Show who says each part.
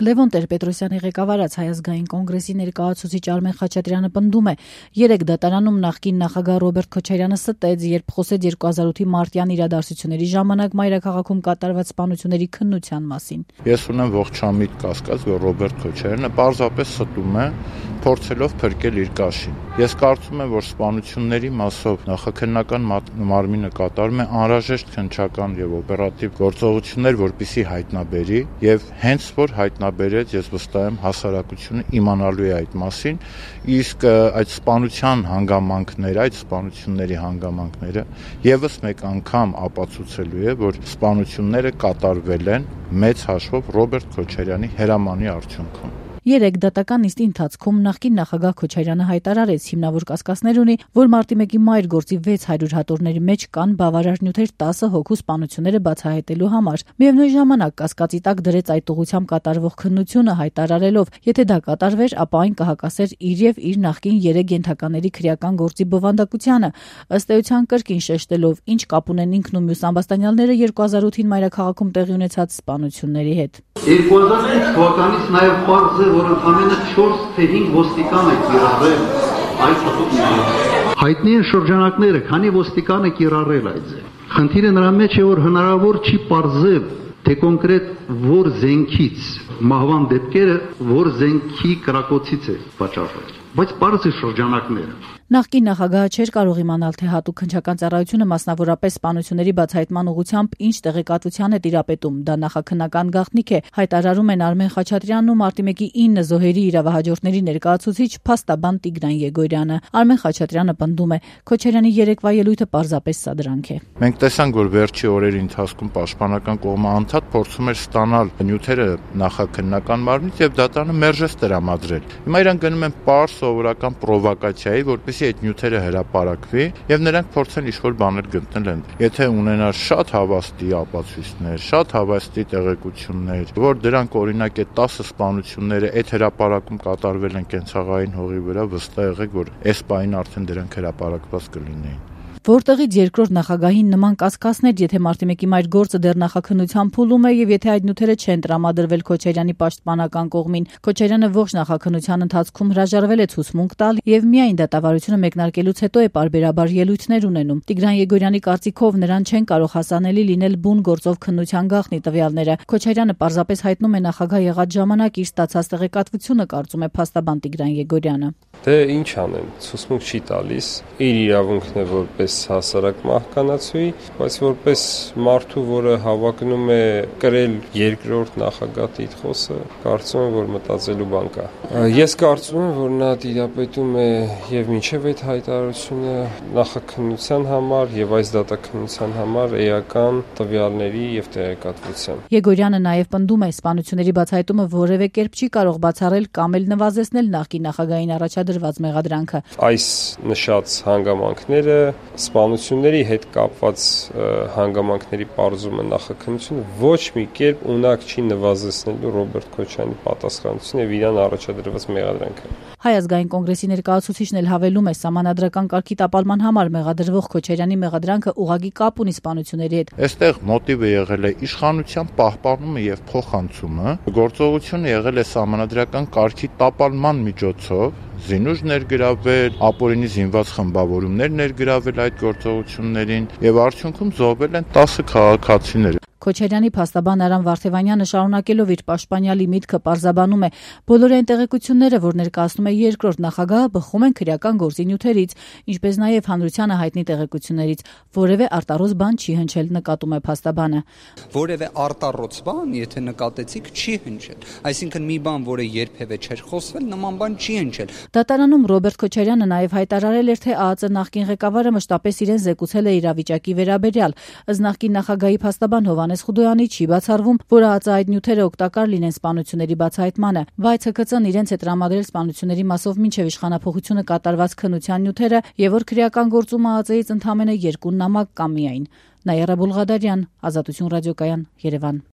Speaker 1: Լևոն Տեր-Պետրոսյանի ղեկավարած Հայ ազգային կոնգրեսի ներկայացուցիչ Արմեն Խաչատրյանը պնդում է, երեք դատարանում նախկին նախագահ Ռոբերտ Քոչարյանը ստեց, երբ խոսեց 2008-ի մարտյան իրադարձությունների ժամանակ մայրաքաղաքում կատարված սպանությունների քննության մասին։
Speaker 2: Ես ունեմ ողջամիտ կասկած, որ Ռոբերտ Քոչարյանը պարզապես ստում է, փորձելով փրկել իր կաշին։ Ես կարծում եմ, որ սպանությունների մասով նախաքննական մարմինը կատարում է անհրաժեշտ քննչական եւ օպերատիվ գործողություններ, որպեսզի հայտնաբերի, եւ հենց որ հայտնաբերեց, ես վստահ եմ, հասարակությունը իմանալու է այդ մասին, իսկ այդ սպանության հանգամանքները, այդ սպանությունների հանգամանքները եւս մեկ անգամ ապացուցելու է, որ սպանությունները կատարվել են մեծ հաշվով Ռոբերտ Քոչարյանի հրամանի արդյունքում։
Speaker 1: Երեք դատական նիստի ընթացքում նախկին նախագահ Քոչարյանը հայտարարեց, հիմնավոր կասկածներ ունի, որ մարտի 1-ի մայր գործի 600 հատորների մեջ կան բավարար նյութեր 10 հոգու սպանությունները բացահայտելու համար։ Միևնույն ժամանակ կասկածի տակ դրեց այդ ուղղությամբ կատարվող քննությունը, հայտարարելով, եթե դա կատարվեր, ապա այն կհակասեր իր եւ իր նախկին 3 ենթակաների քրեական գործի բովանդակությանը, ըստ էության կրկին շեշտելով, ինչ կապ ունեն ինքն ու մյուս ամբաստանյալները 2008-ին մայրաքաղաքում տեղի ունեցած սպանությունների հետ։
Speaker 3: 2008 թվականից նաև պարզ է, որ ընդամենը 4 թե 5 ոստիկան է կիրառել այդ հատուկ։ Հայտնի են շրջանակները, քանի ոստիկան է կիրառել այդ ձե։ Խնդիրը նրա մեջ է, որ հնարավոր չի պարզել, թե կոնկրետ որ զենքից մահվան դեպքերը որ զենքի կրակոցից է պատճառվել, բայց պարզ է շրջանակները։
Speaker 1: Նախկին նախագահը չէր կարող իմանալ, թե հատուկ քննչական ծառայությունը մասնավորապես սպանությունների բացահայտման ուղղությամբ ինչ տեղեկատվության է տիրապետում։ Դա նախաքննական գաղտնիք է, հայտարարում են Արմեն Խաչատրյանն ու մարտի 1-ի 9 զոհերի իրավահաջորդների ներկայացուցիչ փաստաբան Տիգրան Եգորյանը։ Արմեն Խաչատրյանը պնդում է, Քոչարյանի երեկվա ելույթը պարզապես սադրանք է։
Speaker 2: Մենք տեսանք, որ վերջի օրերի ընթացքում պաշտպանական կողմը անդադ փորձում էր ստանալ նյութերը նախաքննական մարմնից եւ դատարանը մերժեց տրամադրել։ Հիմա իրան գնում են պարզ սովորական պրովոկացիայի, որպես այդ նյութերը հրապարակվի եւ նրանք փորձեն ինչ-որ բաներ գտնել են։ Եթե ունենար շատ հավաստի ապացույցներ, շատ հավաստի տեղեկություններ, որ դրանք օրինակ է 10 սպանությունները այդ հրապարակում կատարվել են կենցաղային հողի վրա, վստահ եղեք, որ այս պահին արդեն դրանք հրապարակված կլինեին։
Speaker 1: Որտեղից երկրորդ նախագահին նման կասկածներ, եթե մարտի 1-ի մայր գործը դեռ նախաքննության փուլում է եւ եթե այդ նյութերը չեն տրամադրվել Քոչարյանի պաշտպանական կողմին, Քոչարյանը ողջ նախաքննության ընթացքում հրաժարվել է ցուցմունք տալ եւ միայն դատավարությունը մեկնարկելուց հետո է պարբերաբար ելույթներ ունենում։ Տիգրան Եգորյանի կարծիքով նրան չեն կարող հասանելի լինել բուն գործով քննության գաղտնի տվյալները։ Քոչարյանը պարզապես հայտնում է նախագահ եղած ժամանակ իր ստացած տեղեկատվությունը, կարծում է փաստաբան Տիգրան Եգորյանը։
Speaker 4: Դե ինչ անեն, ցուցմունք չի տալիս, իր իրավունքն է որպես հասարակ մահկանացուի, բայց որպես մարդու, որը հավակնում է կրել երկրորդ նախագահ տիտղոսը, կարծում եմ, որ մտածելու բան կա։ Ես կարծում եմ, որ նա տիրապետում է եւ մինչեւ այդ հայտարարությունը նախաքննության համար եւ այս դատաքննության համար էական տվյալների եւ տեղեկատվության։
Speaker 1: Եգորյանը նաեւ պնդում է, սպանությունների բացահայտումը որևէ կերպ չի կարող բացառել կամ էլ նվազեցնել նախկին նախագահային առաջադրված մեղադրանքը։
Speaker 4: Այս նշած հանգամանքները սպանությունների հետ կապված հանգամանքների պարզումը նախաքննությունը ոչ մի կերպ ունակ չի նվազեցնելու Ռոբերտ Քոչարյանի պատասխանատվությունը եւ իրան առաջադրված մեղադրանքը։
Speaker 1: Հայ ազգային կոնգրեսի ներկայացուցիչն էլ հավելում է, սահմանադրական կարգի տապալման համար մեղադրվող Քոչարյանի մեղադրանքը ուղղակի կապ ունի սպանությունների հետ։
Speaker 2: Այստեղ մոտիվը եղել է իշխանության պահպանումը եւ փոխանցումը, գործողությունը եղել է սահմանադրական կարգի տապալման միջոցով, զինուժ ներգրավել, ապօրինի զինված խմբավորումներ ներգրավել այդ գործողություններին եւ արդյունքում զոհվել են 10 քաղաքացիներ։
Speaker 1: Քոչարյանի փաստաբան Արամ Վարդևանյանը շարունակելով իր պաշտպանյալի միտքը պարզաբանում է, բոլոր այն տեղեկությունները, որ ներկայացնում է երկրորդ նախագահը, բխում են քրեական գործի նյութերից, ինչպես նաև հանրությանը հայտնի տեղեկություններից, որևէ արտառոց բան չի հնչել, նկատում է փաստաբանը։
Speaker 5: Որևէ արտառոց բան, եթե նկատեցիք, չի հնչել, այսինքն մի բան, որը երբևէ չէր խոսվել, նման բան չի հնչել։
Speaker 1: Դատարանում Ռոբերտ Քոչարյանը նաև հայտարարել էր, թե ԱԱԾ նախկին ղեկավարը մշտապես իրեն զեկուցել է իրավիճակի վերաբերյալ, ըստ նախկին նախագահի փաստաբան Հովհաննես Խուդոյանի չի բացառվում, որ ԱԱԾ այդ նյութերը օգտակար լինեն սպանությունների բացահայտմանը, բայց ՀՔԾ-ն իրենց է տրամադրել սպանությունների մասով մինչև իշխանափոխությունը կատարված քննության նյութերը եւ որ քրեական գործում ԱԱԾ-ից ընդամենը 2 նամակ կա միայն։ Նաիրա Բուլղադարյան, Ազատություն ռադիոկայան, Երևան։